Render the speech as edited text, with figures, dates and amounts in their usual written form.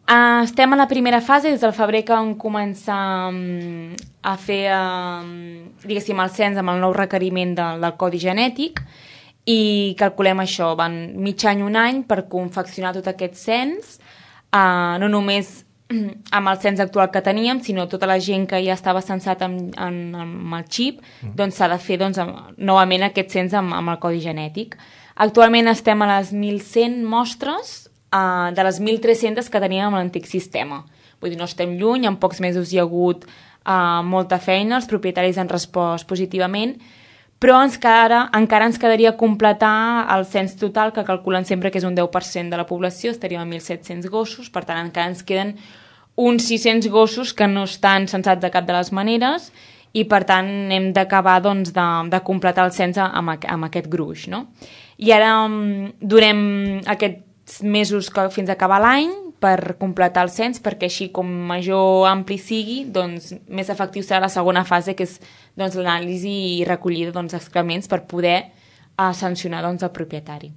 Estem a la primera fase, des del febrer que vam començar a fer, diguéssim, el cens amb el nou requeriment del codi genètic i calculem això, van mig any, un any per confeccionar tot aquest cens, no només amb el cens actual que teníem, sinó tota la gent que ja estava censat amb el xip, doncs s'ha de fer novament aquest cens amb el codi genètic. Actualment estem a les 1.100 mostres de les 1.300 que teníem amb l'antic sistema. Vull dir, no estem lluny, en pocs mesos hi ha hagut molta feina, els propietaris han respost positivament, però encara ens quedaria completar el cens total, que calculen sempre que és un 10% de la població, estaríem a 1.700 gossos, per tant encara ens queden uns 600 gossos que no estan censats de cap de les maneres i per tant hem d'acabar de completar el cens amb aquest gruix, no? I ara durem aquests mesos fins a acabar l'any per completar el cens, perquè així com major ampli sigui, doncs més efectiu serà la segona fase, que és l'anàlisi i recollida d'excrements per poder sancionar el propietari.